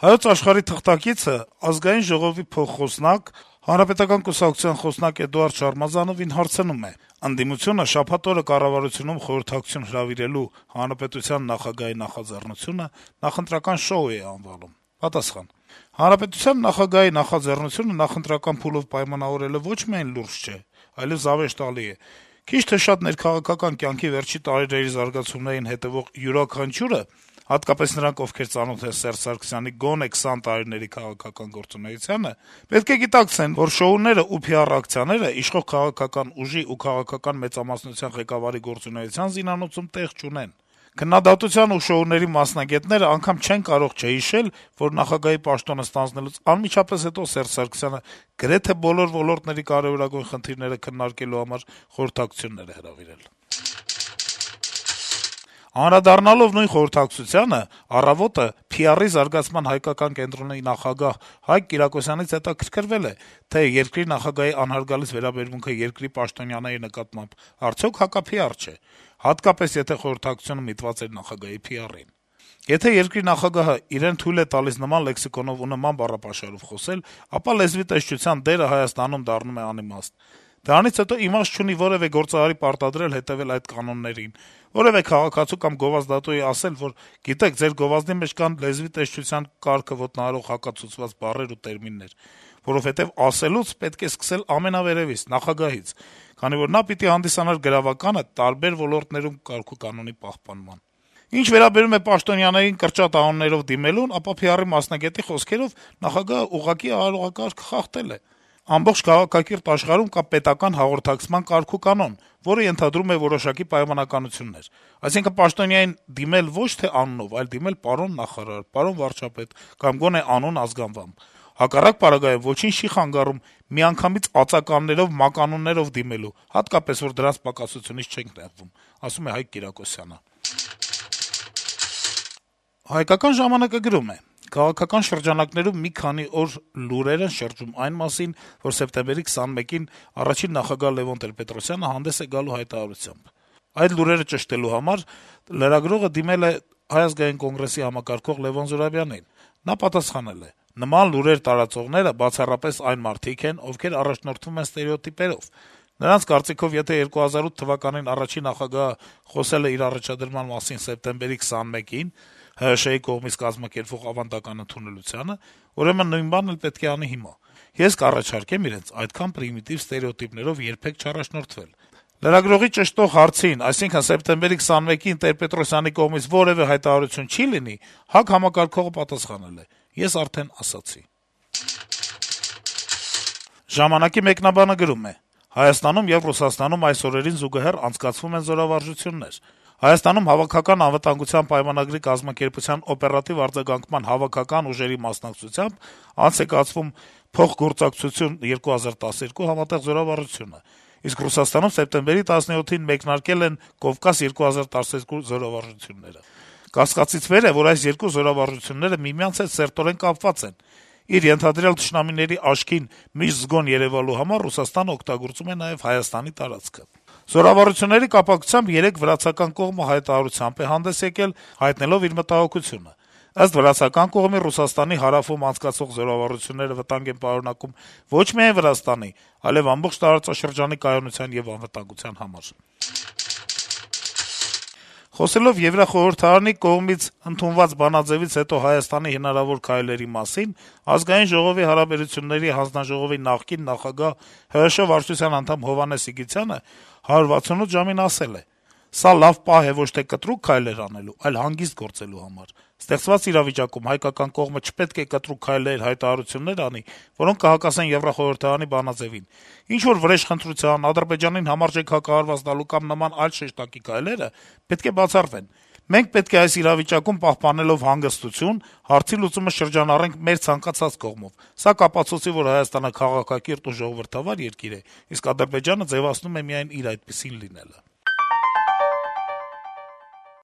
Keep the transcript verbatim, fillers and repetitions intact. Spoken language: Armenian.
Հայոց Աշխարհի թղթակիցը Ազգային ժողովի փոխխոսնակ, Հանրապետական կուսակցության խոսնակ Էդուարդ Շարմազանովին հարցնում է. - «Ընդդիմությունը շաբաթ օրը կառավարությունում խորհրդակցություն հրավիրելու հանրապետության նախագահի նախաձեռնությունը նախընտրական շոու է անվանում»։ Պատասխան. - «Հանրապետության նախագահի նախաձեռնությունը նախընտրական փուլով պայմանավորելը ոչ միայն լուրջ չէ, այլեւ զավեշտալի է: Քիչ թե շատ ներքաղաքական կյանքի վերջին տարիների զարգացումներին հետեւող յուրաքանչյուրը, հատկապես նրանք, ովքեր ծանոթ են Սերժ Սարգսյանի գոնե քսան տարիների քաղաքական գործունեությանը, պետք է գիտակցեն, որ շոուները ու փի ար ակցիաները իշխող քաղաքական ուժի ու քաղաքական մեծամասնության ղեկավարի գործունեության զինանոցում տեղ չունեն: Քննադատության ու շոուների մասնագետները անգամ չեն կարող չհիշել, որ նախագահի պաշտոնը ստանձնելուց անմիջապես հետո Սերժ Սարգսյանը գրեթե բոլոր ոլորտների կարեւորագույն խնդիրները քննարկելու համար խորհրդակցություններ է հրավիրել»: Անդրադառնալով նույն խորհրդակցությանը, «Առավոտ»-ը փի արի զարգացման հայկական կենտրոնի նախագահ Հայկ Կիրակոսյանից հետաքրքրվել է, թե երկրի նախագահի անհարգալից վերաբերմունքը երկրի պաշտոնյաների նկատմամբ արդյոք հակափի ար չէ, հատկապես եթե խորհրդակցությունը միտված էր նախագահի փի արին: Եթե երկրի նախագահը իրեն թույլ է տալիս նման լեքսիկոնով ու նման բառապաշարով խոսել, ապա լեզվի տեսչության դերը Հայաստանում դառնում է անիմաստ: Դրանից հետո իմաստ չունի որեւէ գործարարի պարտադրել հետեւել այդ կանոններին, որեւէ քաղաքացու կամ գովազդատուի ասել, որ գիտեք, ձեր գովազդի մեջ կան լեզվի տեսչության կարգը ոտնահարող հակացուցված բառեր ու տերմիններ, որովհետեւ ասելուց պետք է սկսել ամենավերեւից, նախագահից, քանի որ նա պիտի հանդիսանար գրավականը տարբեր ոլորտներում կարգուկանոնի պահպանման: Ինչ վերաբերում է պաշտոնյաներին կրճատ անուններով դիմելուն, ապա փի արի մասնագետի խոսքերով նախագահը ուղղակի արարողակարգը խախտել է: Ամբողջ քաղաքակիրթ աշխարհում կա պետական հաղորդակցման կարգուկանոն, որը ենթադրում է որոշակի պայմանականություններ: Այսինքն` պաշտոնյային դիմել ոչ թե անունով, այլ դիմել պարոն նախարար, պարոն վարչապետ կամ գոնե անուն ազգանվամբ: Հակառակ պարագայում ոչինչ չի խանգարում միանգամից ածականներով, մականուններով դիմելու, հատկապես, որ դրանց պակասությունից չենք նեղվում», - ասում է Հայկ Կիրակոսյանը: «Հայկական ժամանակ»-ը գրում է. - «Քաղաքական շրջանակներում մի քանի օր լուրեր են շրջում այն մասին, որ սեպտեմբերի քսանմեկին առաջին նախագահ Լեւոն Տեր-Պետրոսյանը հանդես է գալու հայտարարությամբ: Այդ լուրերը ճշտելու համար լրագրողը դիմել է Հայ ազգային կոնգրեսի համակարգող Լեւոն Զուրաբյանին: Նա պատասխանել է. «Նման լուրեր տարածողները բացառապես այն մարդիկ են, ովքեր առաջնորդվում են ստերեոտիպերով: Նրանց կարծիքով, եթե երկու հազար ութ թվականին առաջին նախագահը խոսել է իր առաջադրման մասին սեպտեմբերի քսանմեկին ՀՀՇ-ի կողմից կազմակերպվող ավանդական ընդունելությանը, ուրեմն նույն բանն էլ պետք է անի հիմա: Ես կառաջարկեմ իրենց այդքան պրիմիտիվ ստերեոտիպներով երբեք չառաջնորդվել»: Լրագրողի ճշտող հարցին, այսինքն` սեպտեմբերի քսանմեկին Տեր-Պետրոսյանի կողմից որեւէ հայտարարություն չի լինի, ՀԱԿ համակարգողը պատասխանել է. «Ես արդեն ասացի»: «Ժամանակ»-ի մեկնաբանը գրում է. - «Հայաստանում եւ Ռուսաստանում այս օրերին զուգահեռ անցկացվում են զորավարժություններ: Հայաստանում Հավաքական անվտանգության պայմանագրի կազմակերպության օպերատիվ արձագանքման հավաքական ուժերի մասնակցությամբ անց է կացվում «Փոխգործակցություն երկու հազար տասներկու» համատեղ զորավարժությունը, իսկ Ռուսաստանում սեպտեմբերի տասնյոթին մեկնարկել են «Կովկաս երկու հազար տասներկու» զորավարժությունները: Կասկածից վեր է, որ այս երկու զորավարժությունները միմյանց հետ սերտորեն կապված են: Իր ենթադրյալ թշնամիների աչքին միշտ զգոն երեւալու համար Ռուսաստանը օգտագործում է նաեւ Հայաստանի տարածքը: Զորավարժությունների կապակցությամբ երեկ վրացական կողմը հայտարարությամբ է հանդես եկել` հայտնելով իր մտահոգությունը: Ըստ վրացական կողմի, Ռուսաստանի հարավում անցկացվող զորավարժությունները վտանգ են պարունակում ոչ միայն Վրաստանի, այլեւ ամբողջ տարածաշրջանի կայունության եւ անվտանգության համար»: Խոսելով Եվրախորհրդարանի կողմից ընդունված բանաձեւից հետո Հայաստանի հնարավոր քայլերի մասին, Ազգային ժողովի հարաբերությունների հանձնաժողովի նախկին նախագահ, ՀՀՇ վարչության անդամ Հովհաննես Սիգիցյանը «հարյուր վաթսունութ ժամ»-ին ասել է. - «Սա լավ պահ է ոչ թե կտրուկ քայլեր անելու, այլ հանգիստ գործելու համար: Ստեղծված իրավիճակում հայկական կողմը չպետք է կտրուկ քայլեր, հայտարարություններ անի, որոնք կհակասեն Եվրախորհրդարանի բանաձեւին: Ինչ-որ վրեժխնդրության, Ադրբեջանին համարժեք հակահարված տալու կամ նման այլ շեշտակի քայլերը պետք է բացառվեն: Մենք պետք է այս իրավիճակում, պահպանելով հանգստություն, հարցի լուծումը շրջանառենք մեր ցանկացած կողմով: Սա կապացուցի, որ Հայաստանը քաղաքակիրթ ու ժողովրդավար երկիր է, իսկ Ադրբեջանը ձեւացնում է միայն իր այդպիսին լինելը»: